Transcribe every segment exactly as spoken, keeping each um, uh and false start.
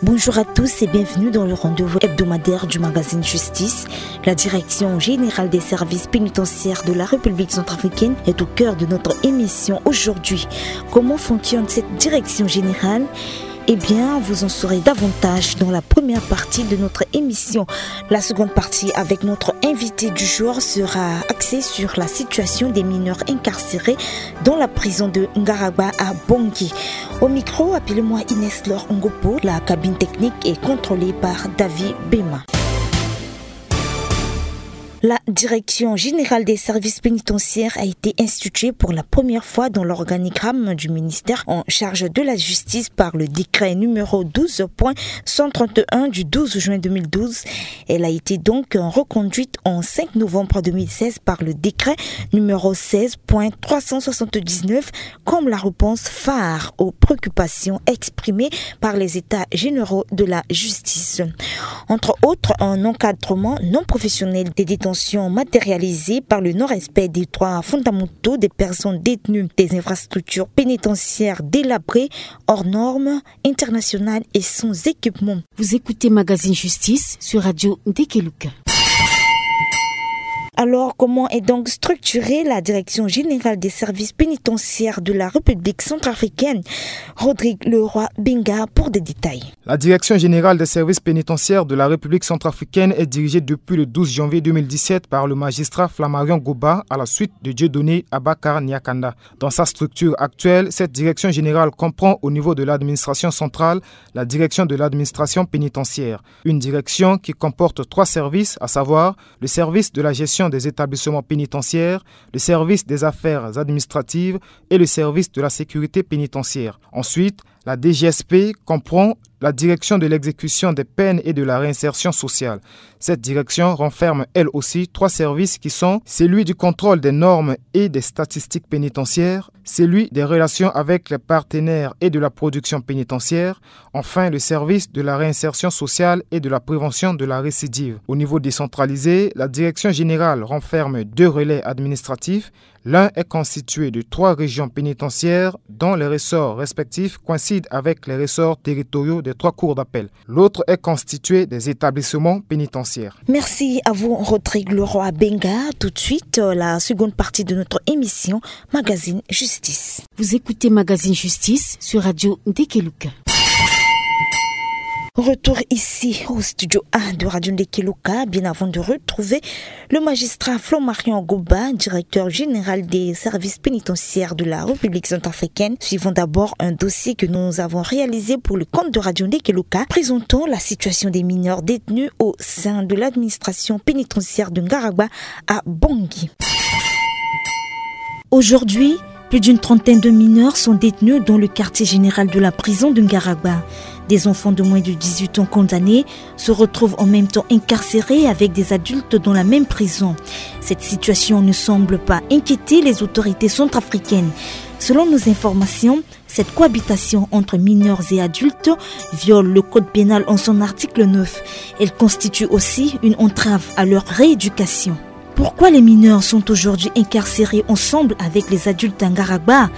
Bonjour à tous et bienvenue dans le rendez-vous hebdomadaire du magazine Justice. La Direction générale des services pénitentiaires de la République centrafricaine est au cœur de notre émission aujourd'hui. Comment fonctionne cette direction générale ? Eh bien, vous en saurez davantage dans la première partie de notre émission. La seconde partie avec notre invité du jour sera axée sur la situation des mineurs incarcérés dans la prison de Ngaragba à Bangui. Au micro, appelez-moi Inès Laure Ngopo. La cabine technique est contrôlée par David Bema. La Direction générale des services pénitentiaires a été instituée pour la première fois dans l'organigramme du ministère en charge de la justice par le décret numéro douze point cent trente et un du douze juin deux mille douze. Elle a été donc reconduite en cinq novembre deux mille seize par le décret numéro seize point trois cent soixante-dix-neuf comme la réponse phare aux préoccupations exprimées par les États généraux de la justice. Entre autres, un encadrement non professionnel des détentions matérialisé par le non-respect des droits fondamentaux des personnes détenues, des infrastructures pénitentiaires délabrées, hors normes, internationales et sans équipement. Vous écoutez Magazine Justice sur Radio Ndekeluka. Alors, comment est donc structurée la Direction générale des services pénitentiaires de la République centrafricaine ? Rodrigue Leroy Benga pour des détails. La Direction générale des services pénitentiaires de la République centrafricaine est dirigée depuis le douze janvier deux mille dix-sept par le magistrat Flammarion Goba à la suite de Dieudonné Abakar Niakanda. Dans sa structure actuelle, cette direction générale comprend au niveau de l'administration centrale la direction de l'administration pénitentiaire, une direction qui comporte trois services, à savoir le service de la gestion des établissements pénitentiaires, le service des affaires administratives et le service de la sécurité pénitentiaire. Ensuite, la D G S P comprend la direction de l'exécution des peines et de la réinsertion sociale. Cette direction renferme elle aussi trois services qui sont celui du contrôle des normes et des statistiques pénitentiaires, celui des relations avec les partenaires et de la production pénitentiaire, enfin le service de la réinsertion sociale et de la prévention de la récidive. Au niveau décentralisé, la direction générale renferme deux relais administratifs. L'un est constitué de trois régions pénitentiaires dont les ressorts respectifs coïncident avec les ressorts territoriaux des trois cours d'appel. L'autre est constitué des établissements pénitentiaires. Merci à vous, Rodrigue Leroy Benga. Tout de suite, euh, la seconde partie de notre émission, Magazine Justice. Vous écoutez Magazine Justice sur Radio Ndekeluka. Retour ici au studio A de Radio Ndekeluka, bien avant de retrouver le magistrat Flammarion Goba, directeur général des services pénitentiaires de la République centrafricaine. Suivons d'abord un dossier que nous avons réalisé pour le compte de Radio Ndekeluka, présentant la situation des mineurs détenus au sein de l'administration pénitentiaire de Ngaragba à Bangui. Aujourd'hui, plus d'une trentaine de mineurs sont détenus dans le quartier général de la prison de Ngaragba. Des enfants de moins de dix-huit ans condamnés se retrouvent en même temps incarcérés avec des adultes dans la même prison. Cette situation ne semble pas inquiéter les autorités centrafricaines. Selon nos informations, cette cohabitation entre mineurs et adultes viole le code pénal en son article neuf. Elle constitue aussi une entrave à leur rééducation. Pourquoi les mineurs sont aujourd'hui incarcérés ensemble avec les adultes à Ngaragba ?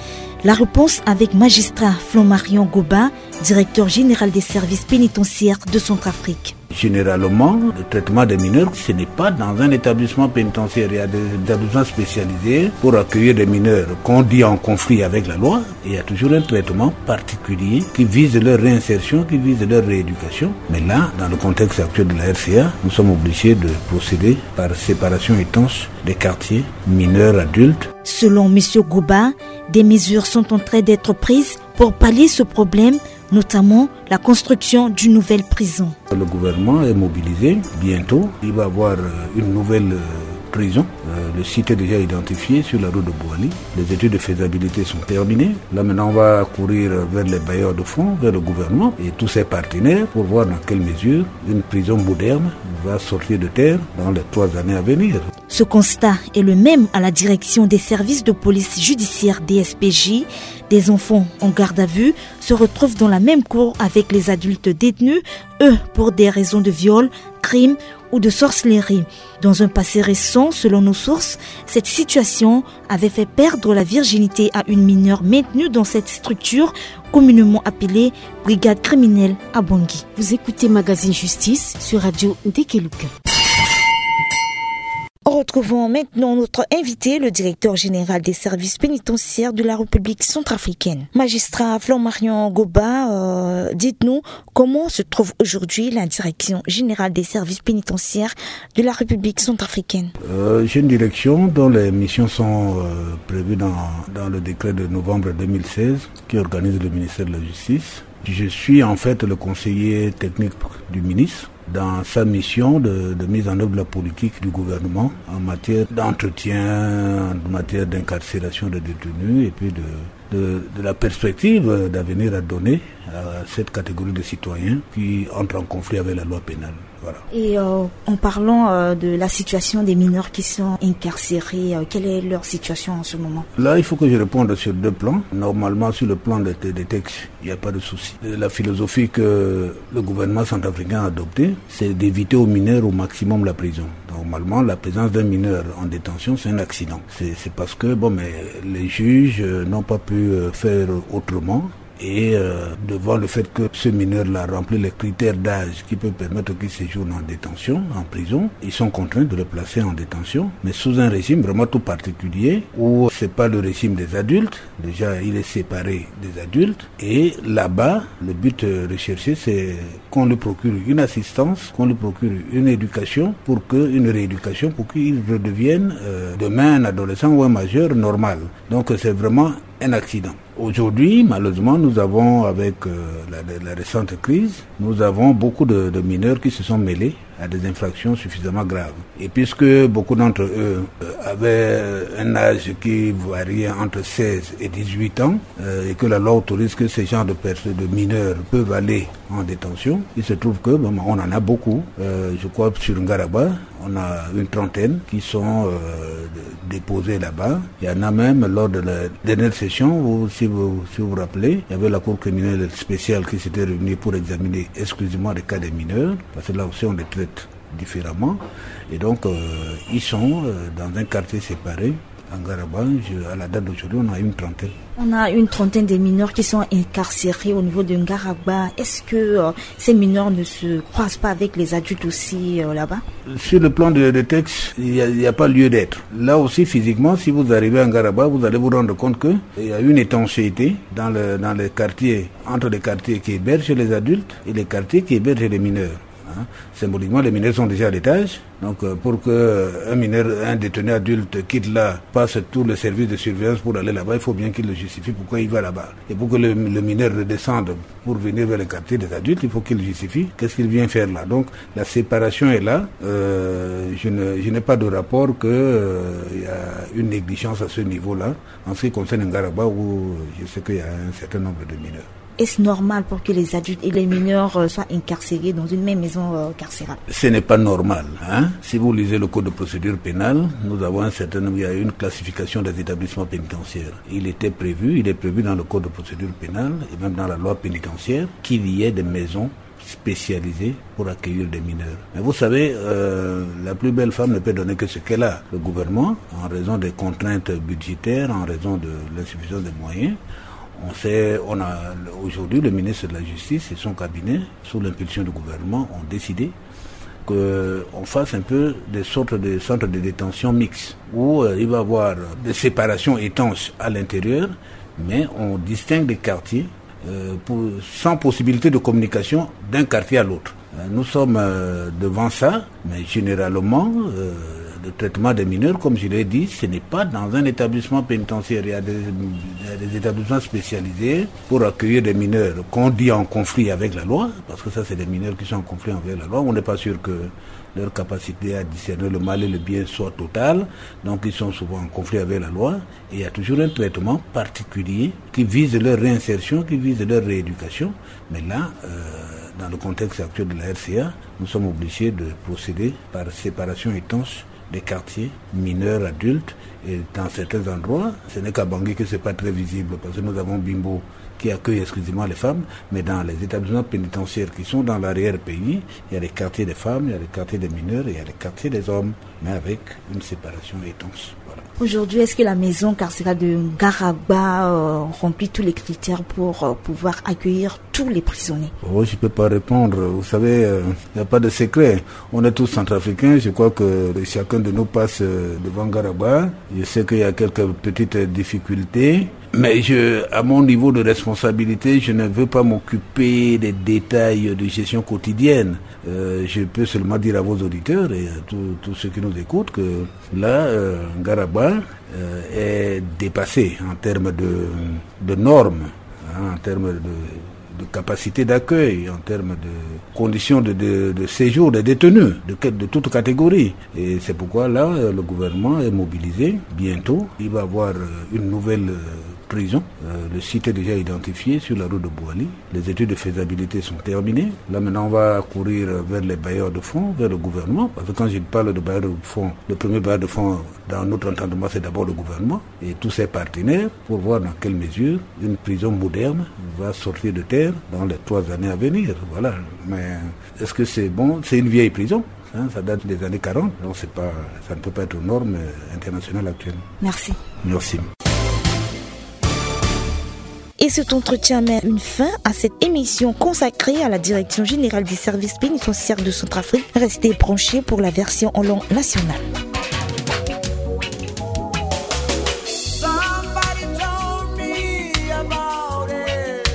La réponse avec magistrat Flammarion Goba, directeur général des services pénitentiaires de Centrafrique. Généralement, le traitement des mineurs, ce n'est pas dans un établissement pénitentiaire. Il y a des établissements spécialisés pour accueillir des mineurs qu'on dit en conflit avec la loi. Il y a toujours un traitement particulier qui vise leur réinsertion, qui vise leur rééducation. Mais là, dans le contexte actuel de la R C A, nous sommes obligés de procéder par séparation étanche des quartiers, mineurs, adultes. Selon M. Goba, des mesures sont en train d'être prises pour pallier ce problème, notamment la construction d'une nouvelle prison. Le gouvernement est mobilisé. Bientôt, il va y avoir, euh, une nouvelle, euh, prison. Euh, le site est déjà identifié sur la route de Boali. Les études de faisabilité sont terminées. Là, maintenant, on va courir vers les bailleurs de fonds, vers le gouvernement et tous ses partenaires pour voir dans quelle mesure une prison moderne va sortir de terre dans les trois années à venir. Ce constat est le même à la direction des services de police judiciaire, D S P J. Des enfants en garde à vue se retrouvent dans la même cour avec les adultes détenus, eux, pour des raisons de viol, crime ou de sorcellerie. Dans un passé récent, selon nos sources, cette situation avait fait perdre la virginité à une mineure maintenue dans cette structure, communément appelée brigade criminelle à Bangui. Vous écoutez Magazine Justice sur Radio Ndekeluka. Retrouvons maintenant notre invité, le directeur général des services pénitentiaires de la République centrafricaine. Magistrat Flamarion Goba, euh, dites-nous comment se trouve aujourd'hui la direction générale des services pénitentiaires de la République centrafricaine. Euh, j'ai une direction dont les missions sont euh, prévues dans, dans le décret de novembre deux mille seize qui organise le ministère de la Justice. Je suis en fait le conseiller technique du ministre dans sa mission de, de mise en œuvre de la politique du gouvernement en matière d'entretien, en matière d'incarcération des détenus et puis de, de, de la perspective d'avenir à donner à cette catégorie de citoyens qui entrent en conflit avec la loi pénale. Voilà. Et euh, en parlant euh, de la situation des mineurs qui sont incarcérés, euh, quelle est leur situation en ce moment ? Là, il faut que je réponde sur deux plans. Normalement, sur le plan des, des textes, il n'y a pas de souci. La philosophie que le gouvernement centrafricain a adoptée, c'est d'éviter aux mineurs au maximum la prison. Normalement, la présence d'un mineur en détention, c'est un accident. C'est, c'est parce que, bon, mais les juges euh, n'ont pas pu euh, faire autrement. Et euh, devant le fait que ce mineur-là remplit les critères d'âge qui peut permettre qu'il séjourne en détention, en prison, ils sont contraints de le placer en détention, mais sous un régime vraiment tout particulier où c'est pas le régime des adultes. Déjà, il est séparé des adultes. Et là-bas, le but euh, recherché, c'est qu'on lui procure une assistance, qu'on lui procure une éducation pour que, une rééducation pour qu'il redevienne euh, demain un adolescent ou un majeur normal. Donc c'est vraiment un accident. Aujourd'hui, malheureusement, nous avons, avec euh, la, la récente crise, nous avons beaucoup de, de mineurs qui se sont mêlés à des infractions suffisamment graves. Et puisque beaucoup d'entre eux euh, avaient un âge qui variait entre seize et dix-huit ans, euh, et que la loi autorise que ces genres de personnes, de mineurs, peuvent aller en détention, il se trouve que bon, on en a beaucoup. Euh, je crois sur Ngaraba, on a une trentaine qui sont euh, déposés là-bas. Il y en a même lors de la dernière session où, si vous si vous, vous rappelez, il y avait la Cour criminelle spéciale qui s'était réunie pour examiner exclusivement les cas des mineurs, parce que là aussi on les traite différemment. Et donc, euh, ils sont euh, dans un quartier séparé. À Ngaraba, je, à la date d'aujourd'hui, on a une trentaine. On a une trentaine de mineurs qui sont incarcérés au niveau de Ngaraba. Est-ce que euh, ces mineurs ne se croisent pas avec les adultes aussi euh, là-bas ? Sur le plan de, de texte, il n'y a, a pas lieu d'être. Là aussi, physiquement, si vous arrivez à Ngaraba, vous allez vous rendre compte qu'il y a une étanchéité dans, le, dans les quartiers, entre les quartiers qui hébergent les adultes et les quartiers qui hébergent les mineurs. Hein. Symboliquement, les mineurs sont déjà à l'étage. Donc, euh, pour que euh, un mineur, un détenu adulte quitte là, passe tous les services de surveillance pour aller là-bas, il faut bien qu'il le justifie pourquoi il va là-bas. Et pour que le, le mineur redescende pour venir vers le quartier des adultes, il faut qu'il justifie qu'est-ce qu'il vient faire là. Donc, la séparation est là. Euh, je ne, je n'ai pas de rapport que euh, il y a une négligence à ce niveau-là. En ce qui concerne Ngaraba, où je sais qu'il y a un certain nombre de mineurs. Est-ce normal pour que les adultes et les mineurs euh, soient incarcérés dans une même maison euh, carcérale ? Ce n'est pas normal. Hein ? Si vous lisez le code de procédure pénale, nous avons un certain nombre, il y a une classification des établissements pénitentiaires. Il était prévu, il est prévu dans le code de procédure pénale et même dans la loi pénitentiaire qu'il y ait des maisons spécialisées pour accueillir des mineurs. Mais vous savez, euh, la plus belle femme ne peut donner que ce qu'elle a. Le gouvernement, en raison des contraintes budgétaires, en raison de l'insuffisance des moyens, on sait, on a aujourd'hui le ministre de la Justice et son cabinet, sous l'impulsion du gouvernement, ont décidé qu'on fasse un peu des sortes de centres de détention mixtes où euh, il va y avoir des séparations étanches à l'intérieur, mais on distingue des quartiers euh, pour, sans possibilité de communication d'un quartier à l'autre. Euh, nous sommes euh, devant ça, mais généralement, euh, le traitement des mineurs, comme je l'ai dit, ce n'est pas dans un établissement pénitentiaire. Il y a des, il y a des établissements spécialisés pour accueillir des mineurs qu'on dit en conflit avec la loi, parce que ça, c'est des mineurs qui sont en conflit avec la loi. On n'est pas sûr que leur capacité à discerner le mal et le bien soit totale, donc ils sont souvent en conflit avec la loi. Et il y a toujours un traitement particulier qui vise leur réinsertion, qui vise leur rééducation. Mais là, euh, dans le contexte actuel de la R C A, nous sommes obligés de procéder par séparation étanche des quartiers, mineurs, adultes, Et dans certains endroits, ce n'est qu'à Bangui que c'est pas très visible, parce que nous avons Bimbo qui accueille exclusivement les femmes, mais dans les établissements pénitentiaires qui sont dans l'arrière-pays, il y a les quartiers des femmes, il y a les quartiers des mineurs, il y a les quartiers des hommes, mais avec une séparation étanche. Voilà. Aujourd'hui, est-ce que la maison carcérale de Ngaragba, euh, remplit tous les critères pour, euh, pouvoir accueillir tous les prisonniers ? Oh, je peux pas répondre. Vous savez, euh, il n'y a pas de secret. On est tous centrafricains. Je crois que chacun de nous passe, euh, devant Ngaragba. Je sais qu'il y a quelques petites difficultés. Mais je, à mon niveau de responsabilité, je ne veux pas m'occuper des détails de gestion quotidienne. Euh, je peux seulement dire à vos auditeurs et à tous, tous ceux qui nous écoutent que là, euh, Ngaragba, euh, est dépassé en termes de, de normes, hein, en termes de, de capacité d'accueil, en termes de conditions de, de, de séjour des détenus, de, de toute catégorie. Et c'est pourquoi là, euh, le gouvernement est mobilisé. Bientôt, il va avoir, euh, une nouvelle, euh, prison. Euh, le site est déjà identifié sur la route de Boali. Les études de faisabilité sont terminées. Là, maintenant, on va courir vers les bailleurs de fonds, vers le gouvernement. Parce que quand je parle de bailleurs de fonds, le premier bailleur de fonds dans notre entendement, c'est d'abord le gouvernement et tous ses partenaires pour voir dans quelle mesure une prison moderne va sortir de terre dans les trois années à venir. Voilà. Mais est-ce que c'est bon ? C'est une vieille prison. Hein, ça date des années quarante, donc c'est pas, ça ne peut pas être aux normes, euh, internationales actuelles. Merci. Merci. Et cet entretien met une fin à cette émission consacrée à la Direction générale des services pénitentiaires de Centrafrique. Restez branchés pour la version en langue nationale. Somebody told me about it.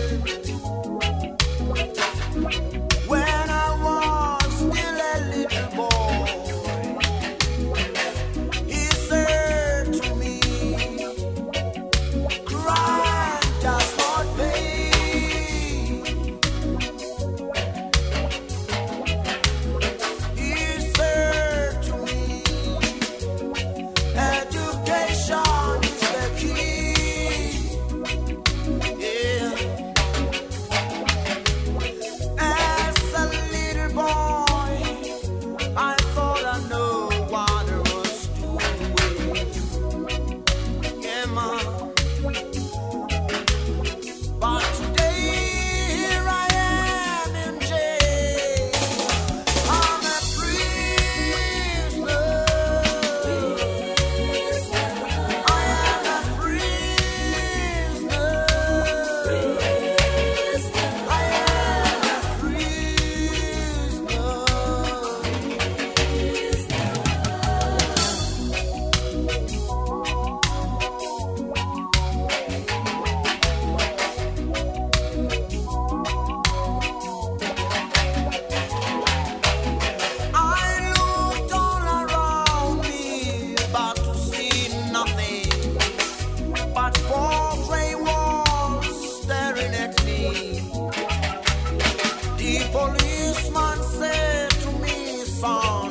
When I was still a little boy, he said to me, "Crime does not pay." He said to me, "Education is the key." Yeah. As a little boy, I thought I know what I was doing. Yeah, man. But today, here I am in jail. I'm a prisoner. I am a prisoner. I am a prisoner. I looked all around me, but to see nothing but four grey walls staring at me. The policeman said to me, "Son,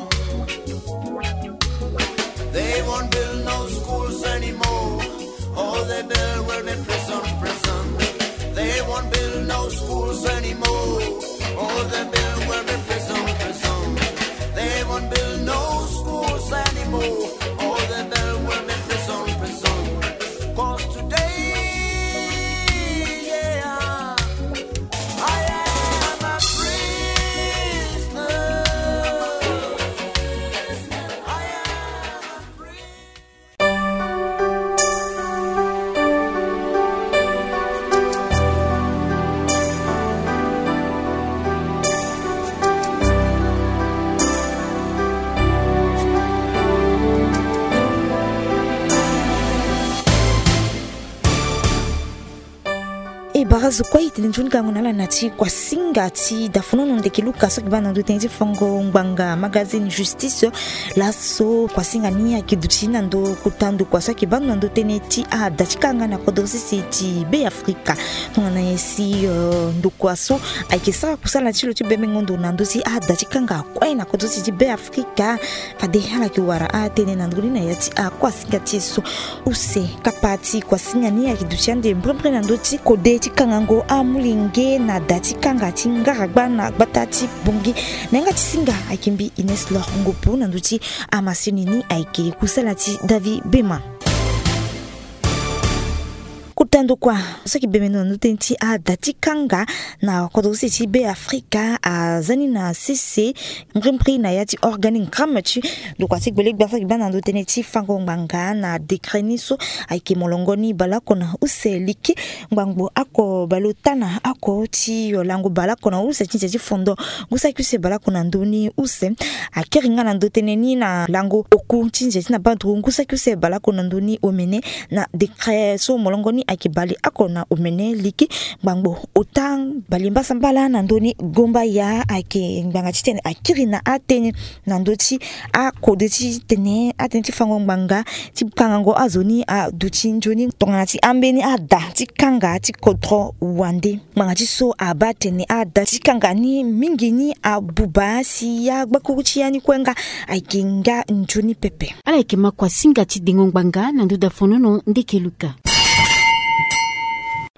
they won't build no schools anymore. All they build will be prison, prison. They won't build no schools anymore. All they build will be prison, prison. They won't build no schools anymore. All they build will be prison, prison." 'Cause today, yeah, I am a prisoner. I am a prisoner. E bara zo kue e tene nzoni gango na ala na ti kuasinga ti dafonono ndeke Luka so ayeke baa na ndo tënë ti fango ngbanga magazine Justice. Laso kuasinga ni ayeke duti na ndo kota ndokua so ayeke baa ndo na ndo tënë ti ada ti kanga na kodro sese ti Be Afrika. Tongana nyen si, euh, ndokua so ayeke sara kusala ti lo ti bembengo ndo na ndö ti ada ti kanga kue na kodro sese ti Be Afrika. Fade ala yeke wara atënë na ndö ni na ya ti akuasinga ti e so. Use kapa ti kuasinga ni ayeke duti ande mbrembre na ndö ti kode ti kangango amolenge na da ti kanga ti Ngaragba na gbata ti Bangui. Na yanga ti singa ayeke mbi Ines Lor Ngopo, na ndö ti amasini ni ayeke kusala ti David Bema. Kota ndokua so ayeke bembe ndo na ndö tënë ti ada ti kanga na kodro sese ti Be Afrika aza ni na sese mbrimbri na ya ti organigramme ti ndokua ti gbelegba so ayeke baa na ndö tënë ti fango ngbanga na décret ni so ayeke molongo ni baleoko na use liki ngbangbo oko baleota na oko ti lango baleoko na use ti nze ti fondo ngu saki use baleoko na ndö ni use. Akiri nga na ndö tënë ni na lango oku ti nze ti na badru ngu saki use baleoko na ndö ni omene na décret so molongo ni ayeke baleoko na omene liki ngbangbo ota. Balimbasambala na ndö ni gomba ya ayeke ngbanga titene akiri na atënë na ndö ti akode titene atënë ti fango ngbanga ti kangango azo ni aduti nzoni tongana ti ambeni ada ti kanga ti kodro wande. Ngbanga ti so abaa atene ada ti kanga ni mingi ni abuba si ya gbakuru ti ya ni kue nga ayeke nga nzoni pepe. Ala yeke ma kua singa ti dengo ngbanga na ndö dafonono ndeke luka.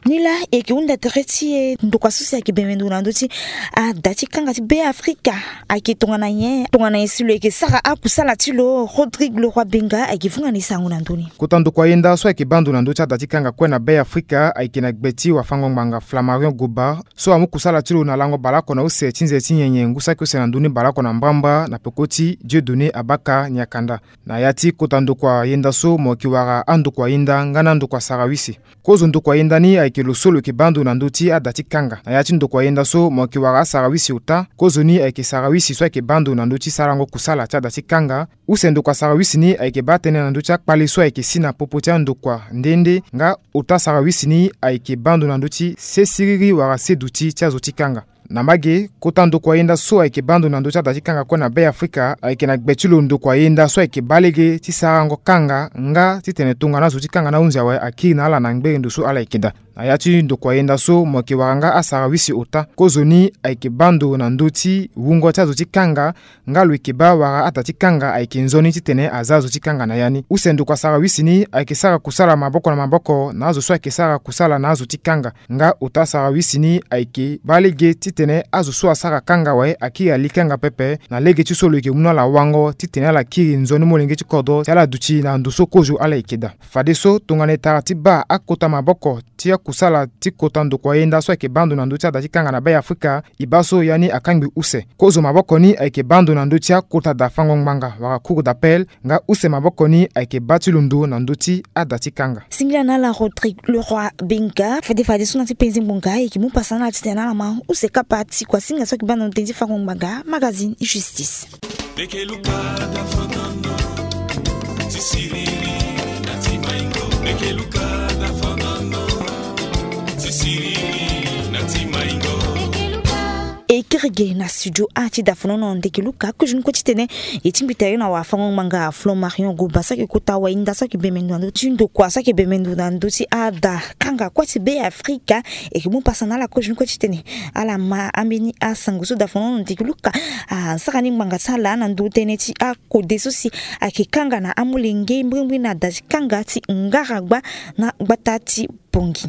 Nilaa e yeke hunda tere ti e ndokua so si ayeke bembe ndo na ndö ti ada ti kanga ti Be Afrika. Ayeke tongana nyen tongana nyen si lo yeke sara akusala ti lo? Rodrigue Leroy Benga ayeke vunga na e sango na ndö ni. Kota ndokua yenda so ayeke baa ndo na ndö ti ada ti kanga kue na Be Afrika ayeke na gbe ti wafango ngbanga Flammarion Goba so amu kusala ti lo na lango baleoko na use ti nze ti nyenye ngu saki use na ndö ni baleoko na mbrambra na peko ti Dieudonné Abaka Niakanda. Na ya ti kota ndokua yenda so mo yeke wara andokua yenda nga na andokua sarawisi. Kozo ndokua yenda ni ayeke lo so lo yeke baa ndo na ndö ti ada ti kanga. Na ya ti ndokua yenda so mo yeke wara asarawisi ota. Kozo ni ayeke sarawisi so ayeke baa ndo na ndö ti sarango kusala ti ada ti kanga. Use ndokua sarawisi ni ayeke baa tënë na ndö ti akpale so ayeke si na popo ti andokua nde nde nga ota sarawisi ni ayeke baa ndo na ndö ti se siriri wala se duti ti azo ti kanga. Na mbage ge kota ndokua yenda so ayeke baa ndo na ndö ti ada ti kanga kue na Be Afrika ayeke na gbe ti lo ndokua yenda so ayeke baa lege ti sarango kanga nga titene tongana azo ti kanga na ahunzi awe akiri na ala na ngbere ndo so ala yeke daa. Na ya ti ndokua yenda so mo yeke wara nga asarawisi ota. Kozo ni ayeke baa ndo na ndö ti wungo ti azo ti kanga nga lo yeke baa wala ada ti kanga ayeke nzoni titene aza azo ti kanga na ya ni. Use ndokua sarawisi ni ayeke sara kusala maboko na maboko na azo so ayeke sara kusala na azo ti kanga. Nga ota sarawisi ni ayeke baa lege titene azo so asara kanga awe akiri ali kanga pepe na lege ti so lo yeke mu na ala wango titene ala kiri nzoni molenge ti kodro ti ala duti na ndo so kozo ala yeke daa. Fadeso tongana e tara ti baa akota maboko ti akusala ti kota ndokua yenda so ayeke baa ndo na ndö ti ada ti kanga na Be Afrika, e baa so ya ni akangbi use. Kozo maboko ni ayeke baa ndo na ndö ti akota dafango ngbanga wala cour d'appel nga use maboko ni ayeke baa ti lo ndo na ndö ti ada ti kanga. Singila na ala Rodrigue Leroy Benga. Fade fade so na ti penze ngbonga e yeke mu pasa na ala titene ala ma use kapa ti kuasinga so ayeke baa na ndö tënë ti fango ngbanga magazine Justice. Meke luka dafandango ti siriri na ti maingo. Meke luka dafandango ti siriri na ti maingo. E kiri ge na studio a ti dafonono ndeke luka kozo ni kue titene e tingbi tere na wafango ngbanga Flammarion Goba so ayeke kota wayinda so ayeke bembe ndo na ndö ti ndokua so ayeke bembe ndo na ndö ti ada kanga kue ti Be Afrika. E yeke mu pasa na ala kozo ni kue titene ala ma ambeni asango so dafonono ndeke luka asara ni ngbanga ti ala na ndö tënë ti akode so si ayeke kanga na amolenge mbrimbri na da ti kanga ti ngaragba na gbata ti Pongi.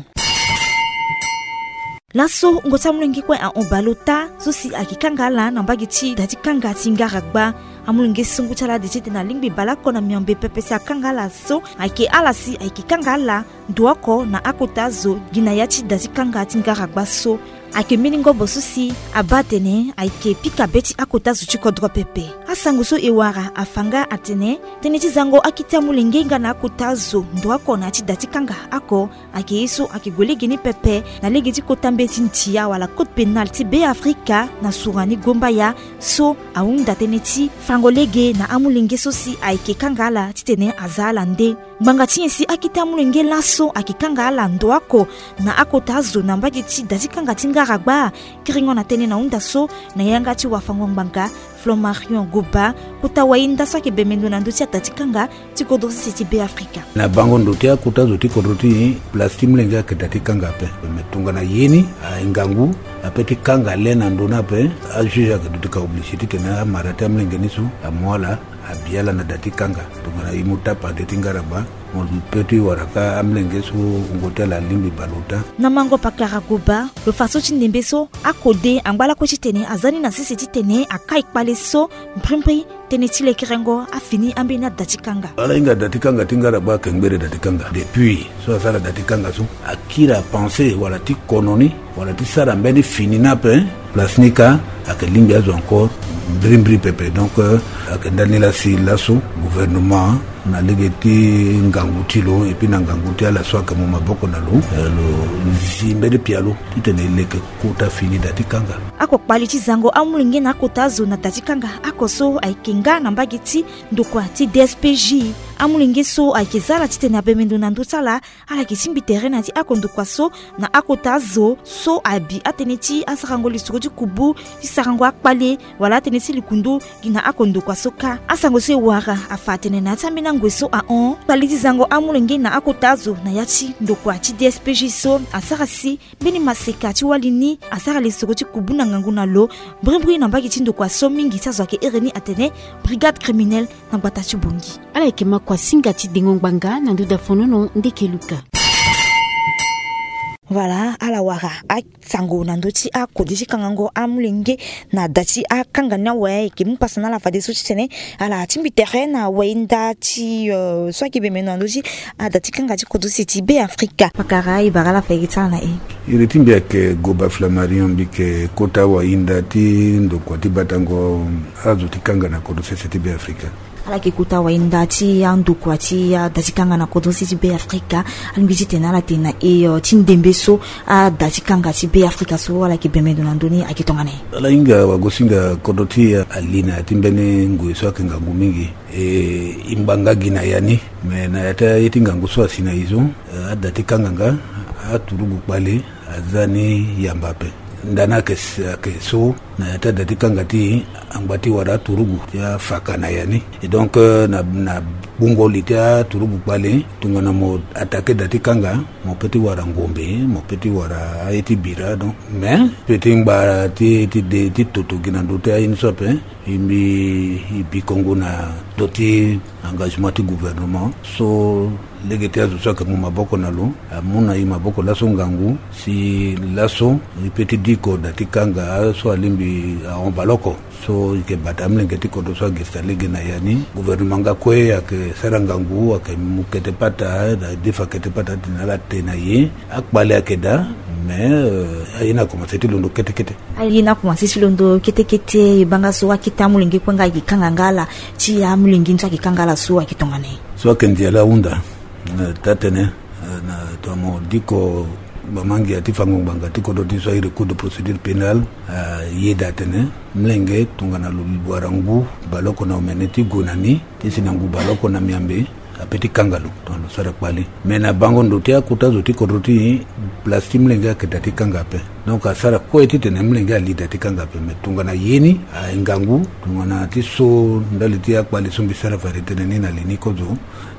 Laso ngo ti amolenge kue ahon baleota so si ayeke kanga ala na mbage ti da ti kanga ti ngaragba. Amolenge so ngu ti ala de ti tene alingbi baleoko na miombe pepe si akanga ala so ayeke ala si ayeke kanga ala ndo oko na akota zo gi na ya ti da ti kanga ti ngaragba so. Ayeke mbeni ngobo so si abaa atene ayeke pika be ti akota zo ti kodro pepe. Asango so e wara afa nga atene tënë ti zango akete amolenge nga na akota zo ndo oko na ya ti da ti kanga oko ayeke ye so ayeke gue lege ni pepe na lege ti kota mbeti ndia wala code pénal ti Be Afrika na sura ni gombaya so ahunda tënë ti fango lege na amolenge so si ayeke kanga ala titene aza ala nde. Ngbanga ti nyen si akete amolenge laso ayeke kanga ala ndo oko na akota azo na mbage ti da ti kanga ti ngaragba? Kiringo na tënë na hunda so na yanga ti wafango ngbanga Flammarion Goba, kota wayinda so ayeke bembe ndo na ndö ti ada ti kanga ti kodro sese ti Be Afrika. Na bango ndo ti akota zo ti kodro ti e, place ti molenge ayeke da ti kanga ape. Me tongana ye ni aye ngangu ape ti kanga le na ndo ni ape, ajuge ayeke duti ka oblige titene amara ti amolenge ni so amu ala abi ala na da ti kanga. Tongana e mu tapa de ti ngaragba, mo peut ti wara ka amolenge so wungo ti ala alingbi baleota. Na mango pakara Goba, lo fa so ti ndembe so akode angba lakue titene aza ni na sese titene akai kpale so mbrimbri tënë ti lekerengo afini ambeni ada ti kanga. Ala hinga da ti kanga ti ngaraba ayeke ngbere da ti kanga. Depuis so asara da ti kanga so, akiri apense wala ti kono ni wala ti sara mbeni fini ni ape. Place ni kâ ayeke lingbi azo encore mbrimbri pepe. Donc, euh, ayeke ndani laa si laso gouvernement na lege ti ngangu ti lo et puis na ngangu ti ala so ayeke mu maboko na lo, euh, lo zi mbeni pialo titene e leke kota fini da ti kanga. Oko kpali ti zango amolenge na akota azo na da ti kanga oko so ayeke nga na mbage ti ndokua ti D S P J. Amolenge so ayeke za ala titene abembe ndo na ndö ti ala, ala yeke tingbi tere na ya ti oko ndokua so na akota azo so abi atënë ti asarango lisoro ti kubu ti sarango akpale wala atënë ti likundu gi na oko ndokua so kâ. Asango so e wara afa atene na ya ti ambeni angoi so ahon, kpali ti zango amolenge na akota azo na ya ti ndokua ti D S P J so asara si mbeni maseka ti wali ni asara lisoro ti kubu na ngangu na lo mbrimbri na mbage ti ndokua so mingi ti azo ayeke iri ni atene brigade criminelle na gbata ti Bangui. Ala yeke makua singa ti dengo ngbanga na ndö da fonono ndeke luka. Voilà, ala wara asango na ndö ti akode ti kangango amolenge na da ti akanga ni awe. E yeke mu pasa na ala fadeso titene ala tingbi tere na wayinda ti, euh, so ayeke bembe na ndö ti ada ti kanga ti kodro sese ti Be Afrika. Pakara, e bara ala fa e yeke ti ala na e. Iri ti mbi ayeke Goba Flammarion, mbi yeke kota wayinda ti ndokua ti batango azo ti kanga na kodro sese ti Be Afrika. Ala yeke kota wayinda ti andokua ti ada ti kanga na kodro sese ti Be Afrika. Alingbi titene ala tene na e, euh, ti ndembe so ada ti kanga ti Be Afrika so ala yeke bembe ndo na ndö ni ayeke tongana nyen? Ala hinga wagosinga kodro ti e ali na ya ti mbeni ngoi so ayeke ngangu mingi. E, e ngbanga gi na ya ni, me na ya ti aye ti ngangu so asi na e so, eh, ada ti kanga nga aturugu kpale aza ni yamba ape. Ndani ayeke, ayeke so na ya ti ada ti kanga ti e angba ti wara aturugu ti afaka na ya ni. Et donc, euh, na, na gbungo li ti aturugu kpale, tongana mo attaqué da ti kanga, mo peut ti wara ngombe, mo peut ti wara aye ti bira. Donc, mais peut ti ngba ti, ti de, ti toto gi na ndö ti aye ni so ape. E mbi, e bi kongo na ndö ti engagement ti gouvernement so lege ti azo so ayeke mu maboko na lo amu na e maboko laso ngangu si laso e peut ti diko da ti kanga so alingbi ahon baleoko. So e yeke bata amolenge ti kodro so agirisa lege na ya ni. Gouvernement nga kue ayeke sara ngangu, ayeke mu kete pata, na defa kete pata titene ala te na ye. Akpale ayeke daa, mais, euh, aye ni akomanse ti londo kete kete. Aye ni akomanse ti londo kete kete, e baa nga so akete amolenge kue nga ayeke kanga nga ala, ti amolenge ni so ayeke kanga ala so ayeke tongana nyen? So ayeke ndia laa ahunda, eh, taa tene, eh, na tongana mo diko mama ngia ti fango ngbanga ti kodro ti so airi Code de procédure pénale, eh, ayeda atene, molenge tongana lo wara ngu baleoko na omene ti gue na ni, ti si na ngu baleoko na miambe, apeut ti kanga lo, tongana lo sara kpale. Me na bango ndo ti akota zo ti kodro ti e, place ti molenge ayeke daa ti kanga ape. Donc asara kue titene molenge ali daa ti kanga ape. Me tongana ye ni aye ngangu, tongana ti so ndali ti akpale so mbi sara fade tënë ni na li ni kozo,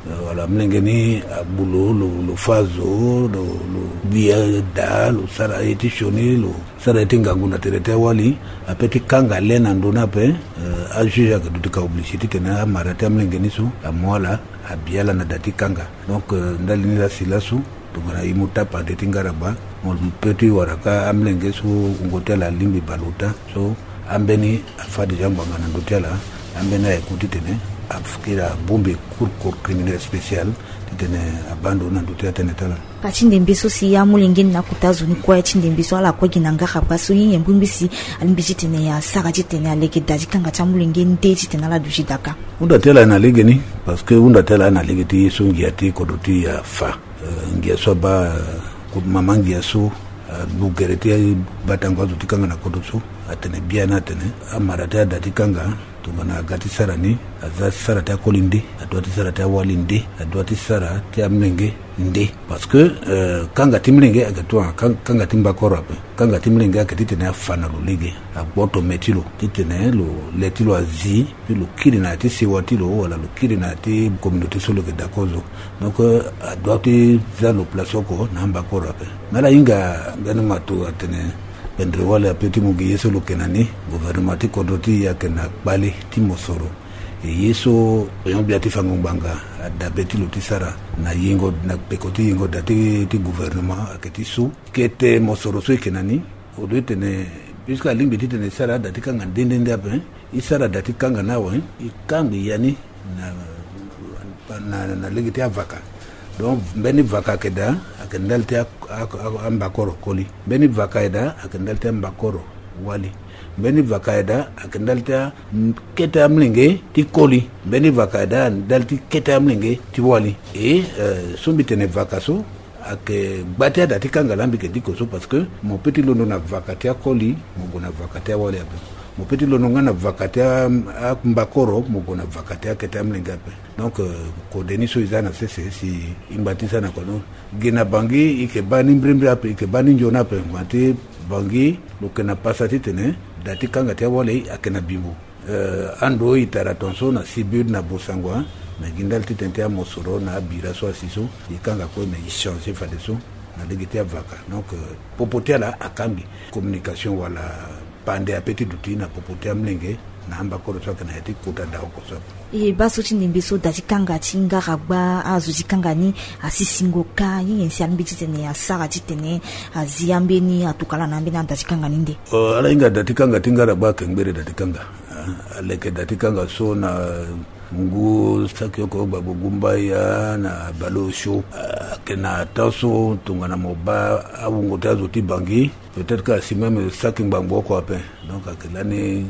eh, wala molenge ni agbu lo, lo, lo fâ zo, lo, lo gbi adaa, lo sara ye ti sioni, lo sara ye ti ngangu na tere ti awali, apeut ti kanga le na ndo ni ape. Eh, ajuge ayeke duti ka obligé titene amara ti amolenge ni so amu ala, abi ala na da ti kanga. Donc, eh, ndali ni laa si laso, tongana e mu tapande ti ngaraba, mo peut ti wara kâ amolenge so wungo ti ala alingbi bale ota. So ambeni afâ déjà ngbanga na ndö ti ala, ambeni aye ku titene akiri abongbi cour, cour criminelle spéciale, titene abaa ndo na ndö ti atënë ti ala. Paa ti ndembe so si amolenge ni na akota zo ni kue ti ndembe so ala kue gi na ngaraba so ye nyen mbirimbiri si alingbi titene asara titene aleke daa ti kanga ti amolenge nde titene ala duti daa kâ? Hunda ti ala aye na lege ni, parce que hunda ti ala aye na lege ti ye so ngia ti kodro ti e afa. Eh, ngia so abaa, eh, mama ngia so, eh, alu gere ti batango azo ti kanga na kodro so atene biani atene amara ti ada ti kanga, tongana aga ti sara ni, aza ti sara ti akoli nde, adua ti sara ti awali nde, adua ti sara ti amolenge nde. Parce que, euh, kanga ti molenge ayeke tongana kan-, kanga ti mbakoro ape. Kanga ti molenge ayeke titene afa na lo lege, agboto me ti lo titene lo, le ti lo azi, puis lo kiri na ya ti sewa ti lo, wala lo kiri na ya ti communauté so lo yeke daa kozo. Donc, euh, adua ti za lo place oko na ambakoro ape. Me ala hinga mbeni mato atene, pendere wali apeut ti mu gi ye so lo yeke na ni. Gouvernement ti kodro ti e ayeke na kpale ti mosoro. E ye so oyon gbia ti fango ngbanga adabe ti lo ti sara na yengo, na peko ti yengo daa ti, ti gouvernement ayeke ti so. Kete mosoro so e yeke na ni, au lieu titene, puisque alingbi titene e sara ada ti kanga nde nde nde ape, E sara da ti kanga ni awe, e kangbi ya ni na, na, na lege ti avaka. Donc mbeni vaka ayeke daa, ayeke ndali ti a, a, a, ambakoro koli. Mbeni vaka aye daa ayeke ndali ti ambakoro wali. Mbeni vaka aye daa ayeke ndali ti a, kete amolenge ti koli. Mbeni vaka aye daa ndali ti kete amolenge ti wali. E, euh, so mbi tene vaka so ayeke gba ti ada ti kanga laa mbi yeke diko so, parce que mo peut ti londo na vaka ti akoli, mo gue na vaka ti awali ape. Mo peut ti londo nga na vaka ti a, ambakoro, mo gue na vaka ti akete amolenge ape. Donc, euh, kode ni so e za na sese si e ngba ti sara na kodro. Gi na Bangui e yeke baa ni mbirimbiri ape, e yeke baa ni nzoni ape. Ngba ti Bangui lo yeke na pasa titene da ti kanga ti awali ayeke na bimbo. Euh, ando e tara tongaso na Sibut na Bossangoa, na gi ndali titene ti amosoro na abira so asi so, e kanga kue, mais e changer fadeso na lege ti avaka. Donc, euh, popo ti ala akangbi. Communication wala pande ape ti duti na popo ti amolenge na ambakoro so ayeke na ya ti kota da oko so ape. E baa so ti ndembe so da ti kanga ti ngaragba, azo ti kanga ni asisingo ka, ye nyen si alingbi titene asara titene azi ambeni atuka laa na ambeni ada ti kanga ni nde? Euh, ala hinga da ti kanga ti ngaragba ayeke ngbere da ti kanga. Ah, aleke da ti kanga so na ngu saki oko gbagbo gumbaya na baleosio. Ah, ayeke na temps so tongana mo baa awungo ti azo ti Bangui, peut-être que asi même saki ngbangbo oko ape. Donc ayeke lani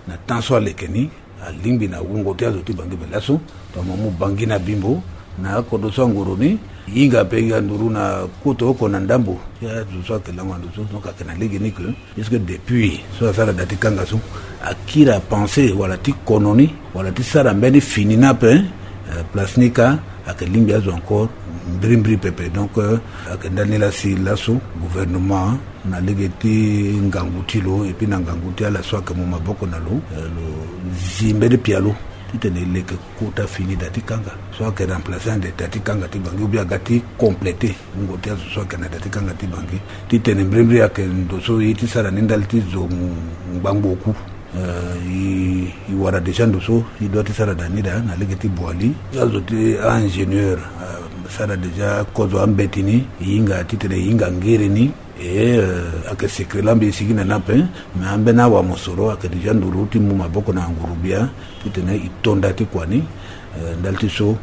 na temps so aleke ni, alingbi na wungo ti azo ti Bangui. Mais laso tongana mo mu Bangui na bimbo, na akodro so anguru ni, e hinga ape, e hinga nduru na kota oko na ndambo ti azo so ayeke lango na ndo so. Donc ayeke na lege ni que, puisque depuis so asara da ti kanga so, akiri apenser wala ti kono ni, wala ti sara mbeni fini ni ape, euh, place ni kâ ayeke lingbi azo encore mbirimbiri pepe. Donc, euh, ayeke ndali ni laa si laso gouvernement na lege ti ngangu ti lo, et puis na ngangu ti ala so ayeke mu maboko na lo, euh, lo zi mbeni pialo titene e leke kota fini da ti kanga so ayeke remplacer ande da ti kanga ti Bangui, ou bien aga ti compléter wungo ti azo so ayeke na da ti kanga ti Bangui. Titene mbirimbiri ayeke ndo so e ye ti sara ni ndali ti zo ngbangbo oku. Euh, e, e wara déjà ndo so e doit ti sara da ni da na lege ti Boali. Azo ti a-ingénieur, euh, sara déjà kozo ambeti ni, e hinga titene e hinga ngere ni. E, euh, ayeke secret laa mbi sigi na ni ape, mais ambeni awamosoro ayeke déjà nduru ti mu maboko na nguru-gbia titene e to nda ti kua ni. Euh, ndali ti so,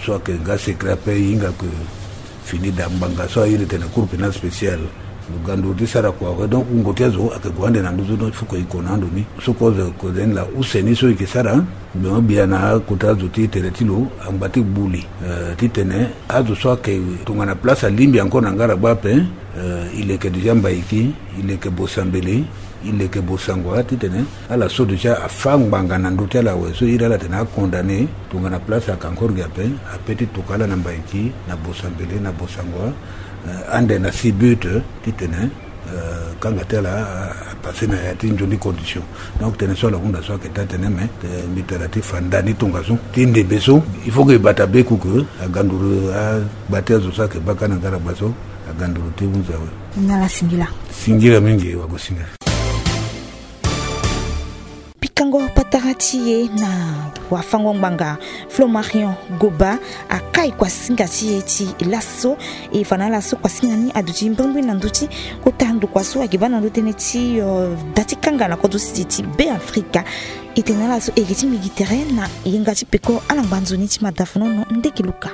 so ayeke nga secret ape, e hinga ke fini da ngbanga so a iri tene cour pénale spéciale, lo ga nduru ti sara kua awe. Donc wungo ti azo ayeke gue ande na nduzu. Donc il faut que e ko na ando ni. So kozo kozo ni laa use ni so e yeke sara, gbia gbia na akota azo ti tere ti lo angba ti gbu li, euh, titene azo so ayeke tongana place alingbi encore na ngaragba ape, euh, e leke déjà Mbaiki, e leke Bosambele, e leke Bossangoa, titene ala so déjà afâ ngbanga na ndö ti ala awe. So iri ala tene acondamné, tongana place ayeke encore gi ape, apeut ti toka ala na Mbaiki, na Bosambele, na Bossangoa, euh, ande na Sibut, titene, euh, kanga ti ala a, apasser na ya ti nzoni condition. Donc tënë so ala hunda so ayeke taa tënë, mais, euh, mbi tara ti fa nda ni tongaso ti ndembe so, il faut que e bata be ku ke aga nduru, agba ti azo so ayeke baa ka na ngaragba so, aga nduru ti hunzi awe. Nala singila. Singila mingi, wagosinga. Pikango patara ti e na wafango-ngbanga Flo Marion Goba akai kuasinga ti e ti laso. E fa na ala so kuasinga ni aduti mbirimbiri na ndö ti kota ndokua so ayeke baa na ndö tënë ti, euh, da ti kanga na kodro sese ti Beafrika. E tene na ala so e yeke ti mbi gi tere na yenga ti peko ala ngba nzoni ti madafonono ndeke luka.